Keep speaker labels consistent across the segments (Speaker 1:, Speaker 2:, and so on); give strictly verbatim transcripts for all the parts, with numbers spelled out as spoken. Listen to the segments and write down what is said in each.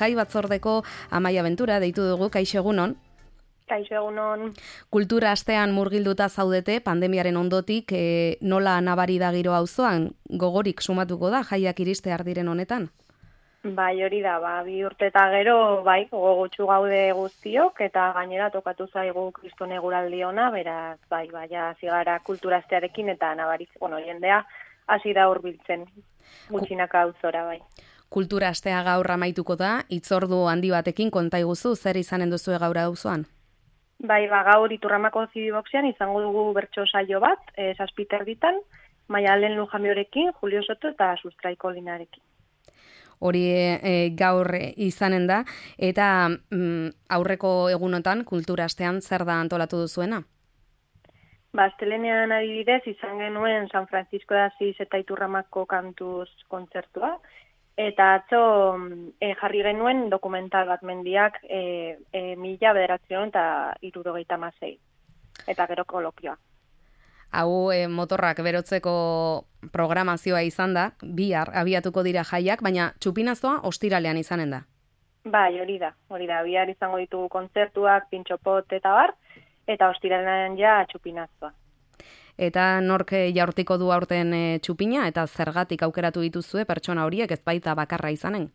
Speaker 1: jai batzordeko Amaia Ventura deitu dugu, kaixo egunon.
Speaker 2: Kaixo egunon.
Speaker 1: Kultura astean murgilduta zaudete, pandemiaren ondotik, e, nola nabari da giro auzoan, gogorik sumatuko da jaiak iristear diren honetan?
Speaker 2: Bai, hori da, ba, bi urte eta gero, bai, gogotsu gaude guztiok, eta gainera tokatu zaigu kriston eguraldi ona, beraz, bai, bai, zigara kultura astearekin, eta nabariz, bueno, jendea hasi da hurbiltzen, gutxinaka auzora, bai.
Speaker 1: Kultura astea gaur amaituko da, hitzordu handi batekin konta iguzu, zer izanen duzue gaur auzoan?
Speaker 2: Bai, ba, gaur Iturramako Zibiboxean izango dugu bertso saio bat, e, zazpiter ditan, Maialen Lujambiorekin, Julio Soto eta Sustraiko Linarekin.
Speaker 1: Hori e, gaur izanen da, eta mm, aurreko egunotan kultura astean zer da antolatu duzuena?
Speaker 2: Ba, astelenean adibidez izan genuen San Francisco de Asís eta Iturramako kantuz kontzertua, eta atzo e, jarri genuen dokumental bat mendiak e, e, mila bederatzion eta hirurogeita hamasei, eta gero kolokioa.
Speaker 1: Hau e, motorrak berotzeko programazioa izan da, bihar abiatuko dira jaiak, baina txupinazoa ostiralean izanen da.
Speaker 2: Bai, hori da, hori da, bihar izango ditugu kontzertuak, pintxopot eta bar, eta ostiralean ja txupinazoa.
Speaker 1: Eta nork jaurtiko du aurten e, txupina, eta zergatik aukeratu dituzue pertsona horiek ez baita bakarra izanen?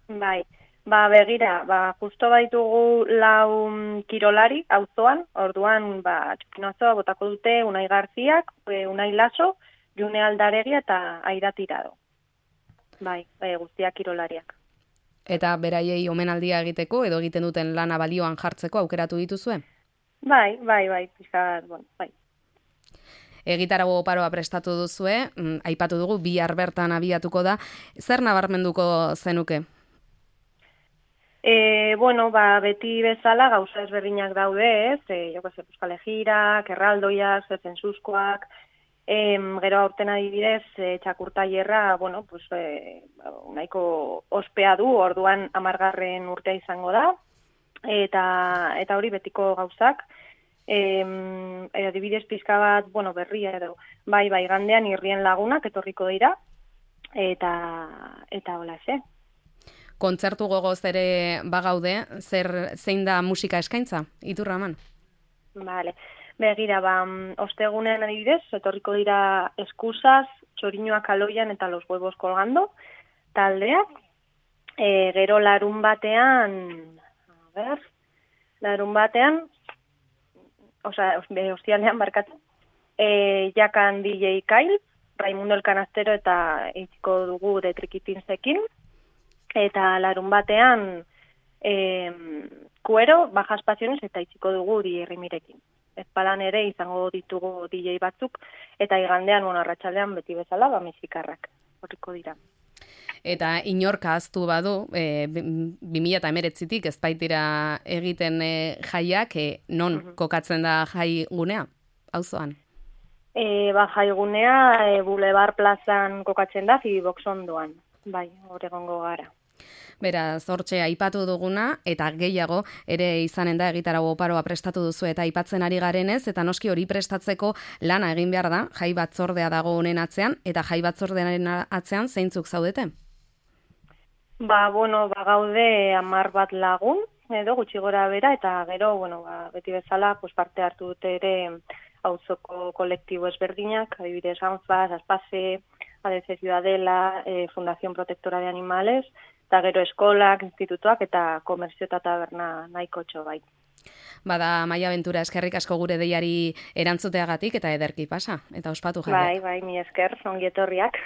Speaker 2: Bai, ba begira, ba justo baitugu lau kirolari auzoan, orduan ba txupinazoa botako dute Unai Garziak, Unai Laso, June Aldaregi eta Aida Tirado. Bai, e, guztiak kirolariak.
Speaker 1: Eta beraiei omenaldia egiteko edo egiten duten lana balioan jartzeko aukeratu dituzue?
Speaker 2: Bai, bai, bai, pixkat, bueno, bai.
Speaker 1: Egitarago oparoa prestatu duzue, mm, aipatu dugu, bihar bertan abiatuko da. Zer nabarmenduko zenuke?
Speaker 2: E, bueno, ba, beti bezala gauza ezberdinak daude, ez? E, joko ze, Euskal Egirak, erraldoiak, zezenzuzkoak, e, gero aurten adibidez, e, txakurtaierra, bueno, pues, e, nahiko ospea du, orduan amargarren urtea izango da, eta, eta hori betiko gauzak. E, adibidez pizka bat, bueno, berria edo, bai, bai, gandean irrien lagunak etorriko dira, eta, eta hola, ze.
Speaker 1: Kontzertu gogoz ere bagaude, zer zein da musika eskaintza, Iturraman?
Speaker 2: Vale, begira, ba, ostegunean adibidez, etorriko dira Eskuzaz, Txoriñoak Aloian eta Los Huevos Colgando, taldeak, e, gero larun batean, a ber, larun batean, Osa, ostialean barkatu, e, jakan D J Kyle, Raimundo El Canastero eta eitziko dugu de Trikitinsekin, eta larun batean e, Kuero, Bajas Pasiones eta eitziko dugu Di Errimirekin. Ezpalan ere izango ditugu D J batzuk, eta igandean, bueno, arratsaldean beti bezala, ba, mexikarrak, horriko dira.
Speaker 1: Eta inorka aztu badu, e, bi mila hemeretzitik ez baitira egiten e, jaiak, e, non uh-huh. kokatzen da jai gunea, auzoan?
Speaker 2: E, ba, jai gunea e, Boulevard Plazan kokatzen da, Zibibox ondoan, bai, hor egongo gara.
Speaker 1: Beraz, hortxe aipatu duguna, eta gehiago ere izanen da egitarago oparoa prestatu duzu eta aipatzen ari garenez, eta noski hori prestatzeko lana egin behar da, jai batzordea dago honen atzean, eta jai batzordearen atzean zeintzuk zaudete?
Speaker 2: Ba, bueno, ba, gaude hamar bat lagun, edo gutxi gora bera, eta gero, bueno, ba, beti bezala, pues, parte hartu dute ere auzoko kolektibo ezberdinak, adibidez Anfas, Aspase, A D C Ciudadela, eh, Fundación Protectora de Animales, eta gero eskolak, institutuak eta komerzio eta taberna nahiko txo bai.
Speaker 1: Bada, Amaia Ventura, eskerrik asko gure deiari erantzuteagatik eta ederki pasa, eta ospatu jaiak.
Speaker 2: Bai, bai, mi esker, ongi etorriak.